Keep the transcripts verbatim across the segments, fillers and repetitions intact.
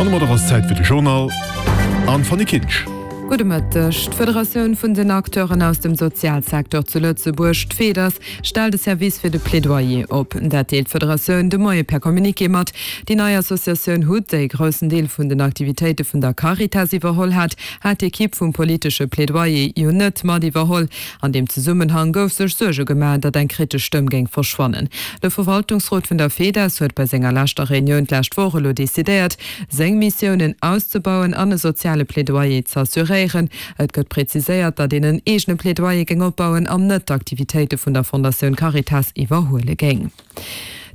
An domadder ass Zäit fir de Journal an d'Fanny Kinsch. Gudde Mëtteg. D'Federatioun vun den Acteuren aus dem Sozialsecteur zu Lëtzebuerg, d'FEDAS, stellt e Service fir de Plaidoyer op. Dat deelt d'Federatioun de Moie per Communiqué mat. Déi nei Associatioun hut, déi e groussen Deel vun den Aktivitéite vun der Caritas iwwerholl hat, hat d'Ekipp vum politesche Plaidoyer jo net mat iwwerholl. An deem Zesummenhang gouf sech Suerge gemaach, datt eng kritesch Stëmm géing verschwannen. De Verwaltungsrot vun der FEDAS huet bei senger leschter Reunioun d'lescht Woch elo decidéiert, seng Missiounen auszebauen an e soziale Plaidoyer z'assuréieren. Et gëtt preziséiert, datt een en eegene Plaidoyer géing opbauen an net d'Aktivitéite vun der Fondatioun Caritas iwwerhuele géing.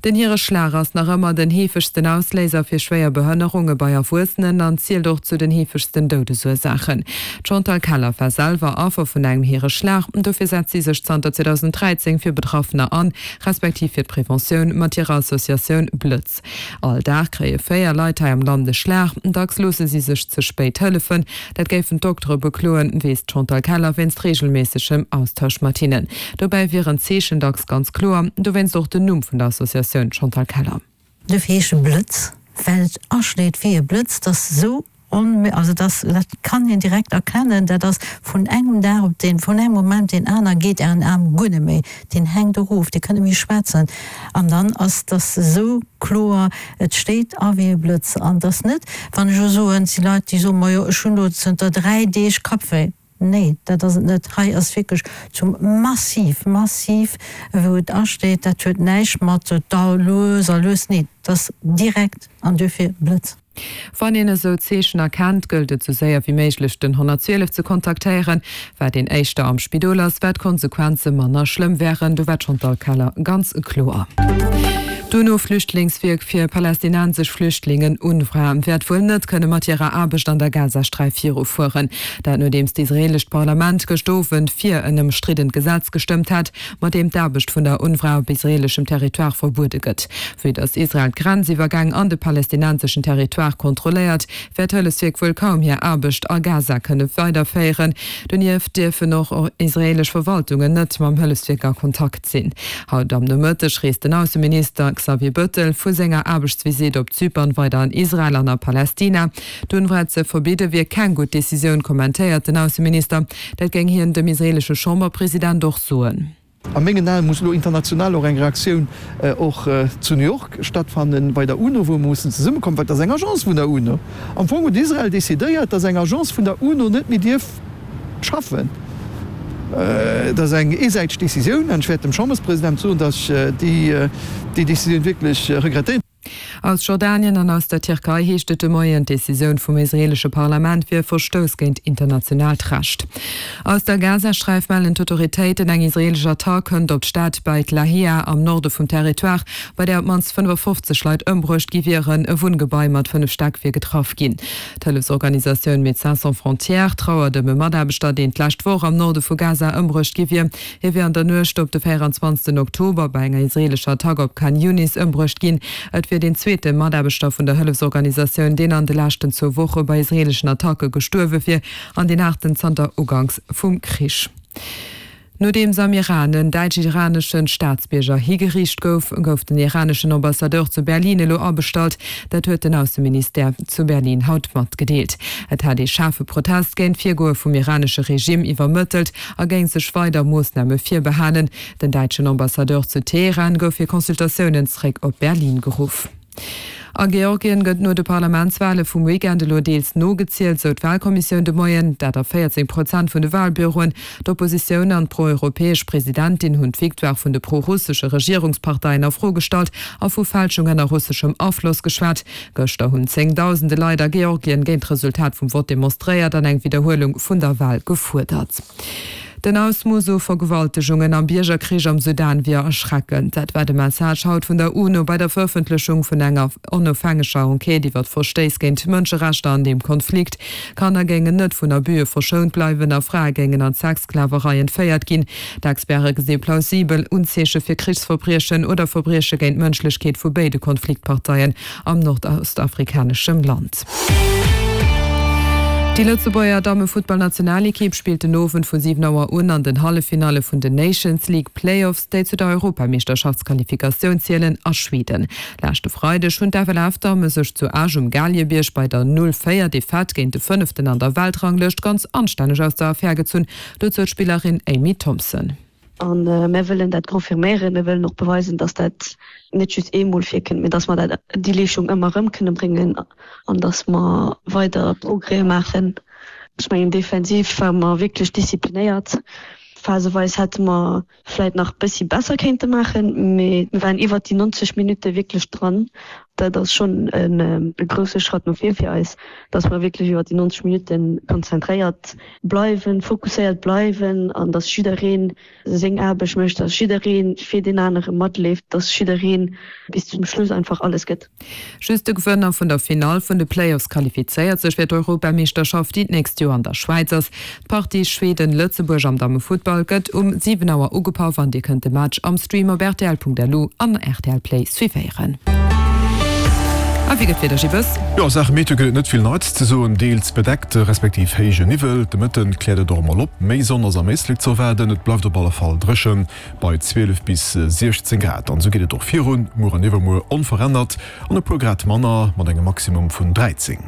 Den Hiereschlag ass nach ëmmer den heefegsten Ausléiser fir schwéier Behënnerunge bei Erwuessenen an zielt och zu den heefegsten Doudesursaachen. D'Chantal Keller war selwer Affer vun engem Hiereschlag. Dofir setzt si sech zanter zweedausenddräizéng fir Betraffener an, respektiv fir d'Preventioun mat hirer Associatioun Blëtz. All Dag kréie véier Leit hei am Land e Schlag. Dacks loosse si sech ze spéit hëllefen. Dat géifen d'Doktere bekloen, weess d'Chantal Keller wéinst reegelméissegem Austausch mat hinnen. Dobäi wieren d'Zeechen dacks ganz kloer, dowéinst och den Numm vun der Associatioun Chantal Keller. Dofir heescht e Blëtz, well et aschléit wéi e Blëtz. 't ass esou onmé, also dat ass, dat kann een direkt erkennen, dat ass vun engem Dag op deen, vun engem Moment op deen aner geet Ären Aarm guer net méi, deen hänkt erof, Dir kënnt net méi schwätzen an dann ass dass esou kloer, et schléit a wéi e Blëtz. An et ass net, wann ech elo soen, et si Leit, déi soen, majo ech hunn elo zënter dräi Deeg Kappwéi. Nee, dat ass et net. Hei ass wierklech zum massiv, massiv, wou et asteet. Dat huet näischt mat da lues a lues, nee, dat ass direkt an duerfir Blëtz. Wann een esou Zeechen erkennt, gëllt et sou séier wéi méiglech den honnertzwielef ze kontaktéieren. Wat een éischter am Spidol ass, wat d'Konsequenze manner schlëmm wären. Do war d'Chantal Keller ganz kloer. D'UNO-Flüchtlingswierk fir palästinensesch Flüchtlingen, UNRWA, wäert wuel net kënne mat hirer Aarbecht an der Gazasträif virufueren. Dat nodeems d'israeelescht Parlament gëscht Owend fir en ëmstriddent Gesetz gestëmmt hat, mat deem d'Aarbecht vun der UNRWA op israeeleschem Territoire verbuede gëtt. Vue datt Israel d'Grenziwwergäng an de palästinenseschen Territoire kontrolléiert, wäert d'Hëllefswierk wuel kaum hir Aarbecht a Gaza kënne weiderféieren. Donieft dierfen och israeelesch Verwaltungen net mam Hëllefswierk a Kontakt sinn. Haut am Nomëtteg reest den Ausseminister Xavier Bëttel vu senger Aarbechtsvisitt op Zypern weider an Israel an a Palästina. D'UNRWA ze verbidde wier keng gutt Decisioun, kommentéiert den Ausseminister. Dat géing hien dem israeelesche Chamberpresident och soen. A mengen Aen muss elo international och eng Reaktioun och zu New York stattfannen, bei der UNO, wou mer mussen zesummekommen, well et ass eng Agence vun der UNO. Am Fong huet Israel decidéiert, datt eng Agence vun der UNO net méi dierf schaffen. Et ass eng eesäiteg Decisioun an ech wäert dem Chamberspresident soen, datt ech déi Decisioun wierklech regrettéieren. Aus Jordanien an aus der Tierkei heescht et de Moien, d'Decisioun vum israeelesche Parlament wier e Verstouss géint internationaalt Recht. Aus der Gazasträif mellen d'Autoritéiten, eng israeelesch Attack kënnt op d'Stad Beit Lahia am Norde vum Territoire, bei där op d'mannst fënnefafofzeg Leit ëmbruecht gi wieren. E Wunngebai mat fënnef Stäck wier getraff ginn. D'Hëllefsorganisatioun Médecins sans frontières trauert ëm e Mataarbechter, deen d'lescht Woch am Norde vu Gaza ëmbruecht gi wier. Hie wier an der Nuecht op de véieranzwanzegsten Oktober bei enger israeelescher Attack op Khan Younis ëmbruecht ginn. Et wier deen zweete Mataarbechter vun der Hëllefsorganisatioun, deen an de leschten zwou Woche bei israeeleschen Attacke gestuerwe wier, an deen aachten zanter Uganks vum Krich. Nodeems am Iran en däitsch-iranesche Staatsbierger higeriicht gouf, gouf den iraneschen Ambassadeur zu Berlin elo abestallt. Dat huet den Ausseministère zu Berlin haut matgedeelt. Et hätt ee schaarfe Protest géint d'Virgoe vum iranesche Regime iwwermëttelt a géing sech weider Moossname virbehalen. Den däitschen Ambassadeur zu Teheran gouf fir Consultatiounen zeréck op Berlin geruff. A Georgien gëtt no de Parlamentswale vum Weekend elo deels nogezielt, sou d'Walkommissioun de Moien. Dat a véierzéng Prozent vun de Walbüroen. D'Oppositioun an d'proeuropäesch Presidentin hunn d'Victoire vun de prorussesche Regierungsparteien a Fro gestallt a vu Fälschungen a russeschem Afloss geschwat. Gëschter hunn zéngdausende Leit a Georgien géint d'Resultat vum Vott demonstréiert an eng Widderhuelung vun der Wal gefuerdert. Den Ausmooss u Vergewaltegungen am Biergerkrich am Sudan wier erschreckend. Dat war de Message haut vun der UNO bei der Verëffentlechung vun enger onofhängeger Enquête iwwer d'Verstéiss géint d'Mënscherechter an deem Konflikt. Kanner géingen net vun Abüe verschount bleiwen a Frae géingen an d'Sexsklaverei entféiert ginn. D'Experte gesi plausibel Unzeeche fir Krichsverbriechen oder Verbrieche géint d'Mënschlechkeet vu béide Konfliktparteien am nordostafrikaneschem Land. Déi Lëtzebuerger Dammefuttballnationalekipp spillt den Owend vu siwen Auer un an den Halleffinalle vun den Nations League Playoffs, déi zu der Europameeschterschaftsqualifikatioun zielen, a Schweden. Leschte Freideg hunn d'FLF-Damme sech zu Esch um Galiebierg bei der Null véier Defaite géint de Fënneften an der Weltranglëscht ganz anstänneg aus der Affär gezunn, dozou d'Spillerin Amy Thompson. A mir wëllen dat confirméieren, mir wëllen och beweisen, dass dat net just eemol virkënnt, mee dass mer dat, déi Leeschung ëmmer erëm kënne bréngen an dass mer weider Progrèse maachen. Ech mengen, defensiv ware mer wierklech disziplinéiert. Phaseweis hätte mer vläit nach e bëssi besser kéinte maachen, mee mir waren iwwert déi neunzeg Minutte wierklech dran. Dat ass schonn e grousse Schratt no vir fir eis, dass mer wierklech iwwert déi neunzeg Minutte konzentréiert bleiwen, fokusséiert bleiwen an dass jidderee seng Aarbecht mécht, dass jidderee fir deen anere matleeft, dass jidderee bis zum Schluss einfach alles gëtt. Just de Gewënner vun der Finall vun de Playoffs qualifizéiert sech fir d'Europameeschterschaft, déi d'nächst Joer an der Schwäiz ass. D'Partie Schweden-Lëtzebuerg am Dammefuttball gëtt um siwen Auer ugepaff an Dir kënnt de Match am Stream op rtl.lu an rtl Play suivéieren. A wéi gëtt d'Wieder, Gibes? Jo, a Saache Meteo gëtt et net vill Neits ze soen. Deels bedeckt respektiv héije Niwwel. De Mëtten kläert et och emol op. Méi Sonn ass am Éislek ze erwaarden. Et bleift op alle Fall dréchen bei zwielef bis siechzéng Grad. An esou geet et och virun, muer an iwwermuer onverännert an e puer Grad manner mat engem Maximum vun dräizéng.